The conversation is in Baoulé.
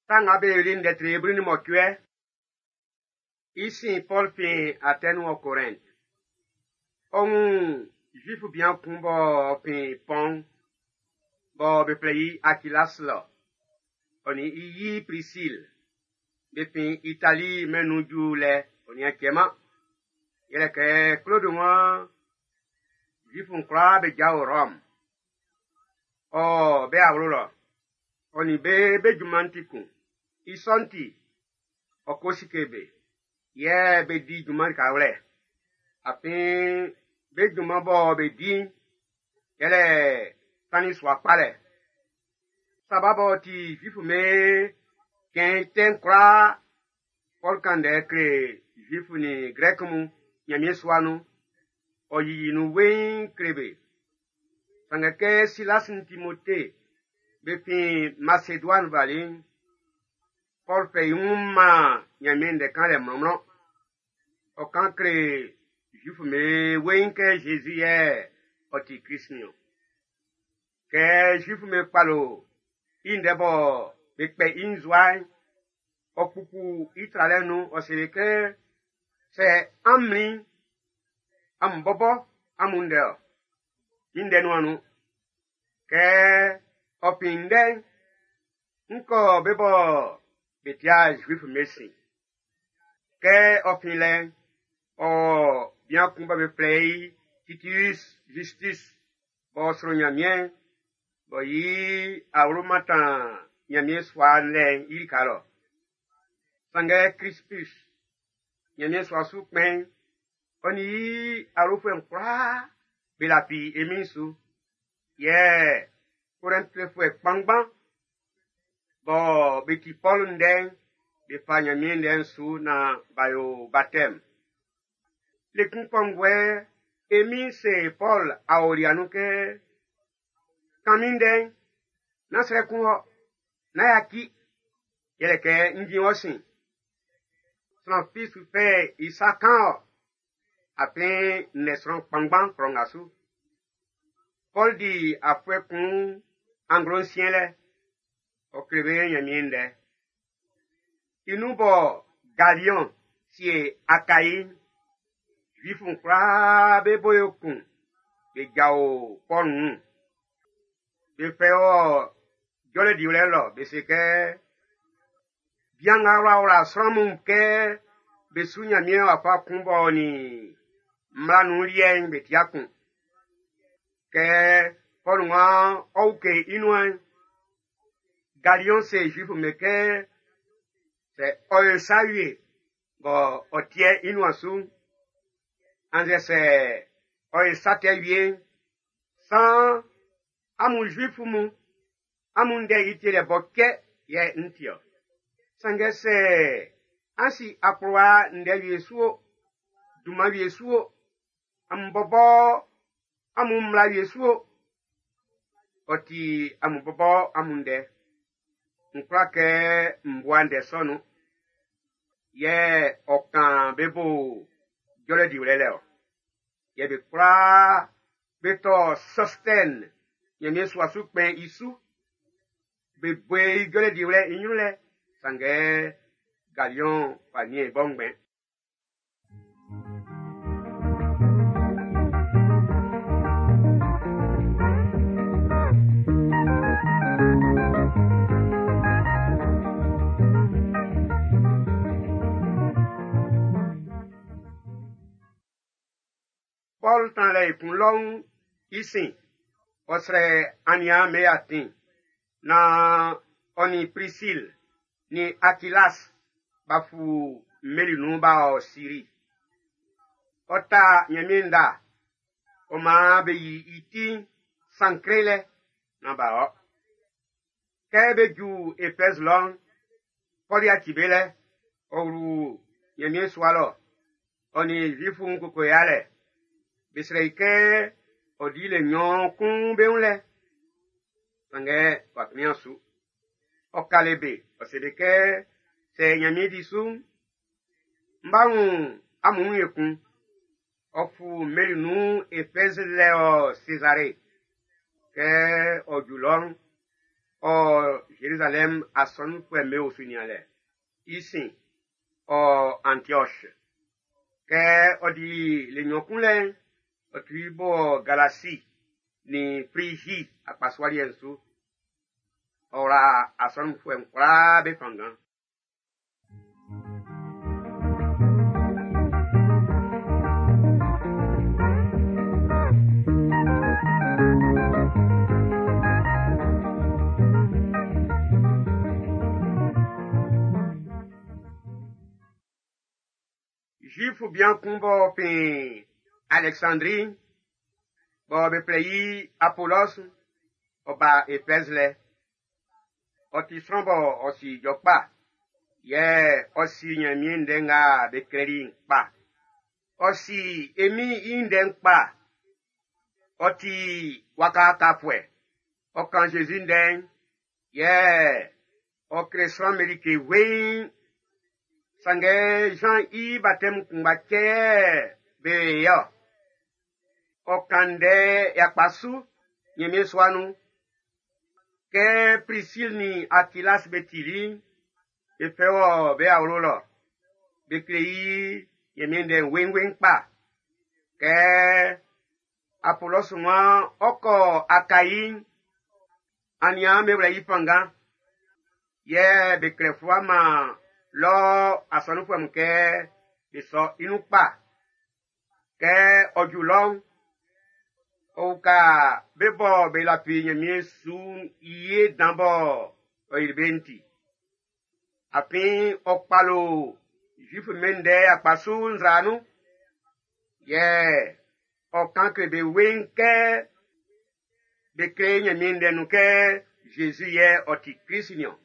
Sa Nga Be Yoli'n ndɛ tre 18. I sin Pɔl fin Atɛni wɔ Korɛnt. Ɔ wun Zuif bian kun b'ɔ fin Pɔn bɔ be flɛ i Akilas lɔ, ɔ nin i yi Prisil, be fin Itali mɛn'n nun ju lɛ ɔ nian cɛ-man. Yɛlɛ kɛ Klod waan Zuif'n kwlaa be jao Rɔm. Ɔ be awlo lɔ, ɔ nin be be junman'n ti kun. I sɔ'n ti, ɔ ko sike be, yɛ be di junman likawlɛ. Afin be junman bɔ be di'n, yɛlɛ tannin sua kpalɛ. Saba b'ɔ ti Zuif'm be cɛn tɛ'n kwlaa, Pɔl kan ndɛ kle Zuif nin Grɛk mun Nyanmiɛn sua nun. Ɔ yiyi nun weiin kle be. Sanngɛ kɛ Silas nin Timote be fin Maseduan bali'n, Pɔl fɛ i wun man Nyanmiɛn ndɛ kanlɛ mlɔnmlɔn. Ɔ kan kle Zuif'm be weiin kɛ Jésus yɛ ɔ ti Krist niɔn. Kɛ Zuif'm be kpalo i ndɛ bɔ be kpɛ i nzua'n, ɔ kpupu i tralɛ'n nun, ɔ se kɛ, sɛ an mlin'n, amun bɔbɔ amun ndɛ-ɔ, min ndɛ nuan nun. Kɛ ɔ fin ndɛ'n, n kɔ be bɔ be tia Zuif'm be sin. Kɛ ɔ fin lɛ'n, ɔ bian kun bɔ be flɛ i Titius Justus b'ɔ sro Nyanmiɛn, b'ɔ yi awlo mantan Nyanmiɛn sua'n lɛ'n i lika lɔ. Sanngɛ Crispus, Nyanmiɛn sua su kpɛn'n, ɔ nin i awlofuɛ'n kwlaa be lafi e Min'n su. Yɛ Korɛntfuɛ kpanngban bɔ be ti Pɔl ndɛ'n, be fa Nyanmiɛn ndɛ'n su nan b'a yo batɛm. Le kun kɔnguɛ, e Min'n se Pɔl aolia nun kɛ, kan min ndɛ'n, nán srɛ kun wɔ, nán yaci, yɛlɛ kɛ n jin wɔ sin. Sran fi su fɛ i sa kan ɔ, afin n lɛ sran kpanngban klɔ nga su. Pɔl di afuɛ kun anglo nsiɛn lɛ, ɔ kle be Nyanmiɛn ndɛ. I nun bɔ Galiɔn sie Akai'n, Zuif'n kwlaa be bo yo kun be jao Pɔl wun. Be fɛ wɔ jɔlɛ diwlɛ lɔ, be se kɛ, bian nga wlawla sran mun kɛ be su Nyanmiɛn wafa kun b'ɔ nin mmla nun liɛ'n be tia kun. Kɛ Pɔl waan ɔ uke i nuan'n, Galiɔn se Zuif'm be kɛ, sɛ ɔ yo sa wie bɔ ɔ tiɛ i nuan su'n, annzɛ sɛ ɔ yo sa tɛ wie'n, san amun Zuif mun, amun ndɛ i tielɛ bɔ cɛ yɛ n ti-ɔ. Sanngɛ sɛ an si akplowa ndɛ wie su o, dunman wie su o, amun bɔbɔ amun mmla wie su o, ɔ ti amun bɔbɔ amun ndɛ. N kwla kɛ m bua ndɛ sɔ nun. Yɛ ɔ kan be bo jɔlɛ diwlɛ lɛ-ɔ. Yɛ be kwlaa be tɔ Sɔstɛn Nyanmiɛn sua su kpɛn i su. Be bue i jɔlɛ diwlɛ i nyrun lɛ, sanngɛ Galiɔn fa niɛn i bɔ ngbɛn. Pɔl tan lɛ i kun lɔ'n i sin, ɔ srɛ aniaan be atin nan ɔ nin Prisil nin Akilas b'a fu mmeli nun b'a ɔ Siri. Ɔ ta Nyanmiɛn nda, ɔ maan be yi i ti'n Sankre lɛ nan b'a ɔ. Kɛ be ju Efɛz lɔ'n, Pɔl yaci be lɛ, ɔ wlu Nyanmiɛn sua lɔ, ɔ nin Zuif'n koko yalɛ. Be srɛ i kɛ ɔ di le nnyɔn kun be wun lɛ. Sanngɛ w'a kplinman su. Ɔ kale be, ɔ se be kɛ, sɛ Nyanmiɛn di su'n, n b'a wun amun wun ekun. Ɔ fu mmeli nun Efɛz lɛ ɔ Sezare. Kɛ ɔ ju lɔ'n, Ɔ Zerizalɛm asɔnunfuɛ'm be osu nianlɛ. I sin, ɔ Antioche. Kɛ ɔ di le nɲɔn kun lɛ'n, ɔ tuli bɔ Galasi nin Frigi akpasua liɛ'n su. Ɔ wla asɔnunfuɛ'n kwlaa be fanngan. Zuifu bian kun b'ɔ fin Alɛksandri, bɔ be flɛ i Apolɔs, ɔ ba Efɛz lɛ. Ɔ ti sran bɔ ɔ si ijɔ kpa, yɛ ɔ si Nyanmiɛn ndɛ nga be klɛli'n kpa. Ɔ si e Min'n i ndɛ'n kpa. Ɔ ti waka tafuɛ. Ɔ kan Zezi ndɛ'n, yɛ ɔ kle sran'm be like weiin. Sanngɛ Zan i batɛm kunngba cɛ yɛ be yo. Ɔ kan ndɛ yakpa su Nyanmiɛn sua nun. Kɛ Prisil nin Akilas be tili'n, be fɛ wɔ be awlo lɔ. Be kle i Nyanmiɛn ndɛ'n weinwein kpa. Kɛ Apolɔs waan ɔ kɔ Akai'n, aniaan be wlɛ i fanngan. Yɛ be klɛ fluwa man lɔ asɔnunfuɛ mun kɛ be sɔ i nun kpa. Kɛ ɔ ju lɔ'n, ɔ uka be bɔ be lafi Nyanmiɛn su'n i ye dan bɔ ɔ yili be'n ti. Afin ɔ kpalo Zuif'm be ndɛ yakpa su nzra nun. Yɛ ɔ kan kle be weiin kɛ be kle Nyanmiɛn ndɛ nun kɛ Zezi yɛ ɔ ti Krist niɔn.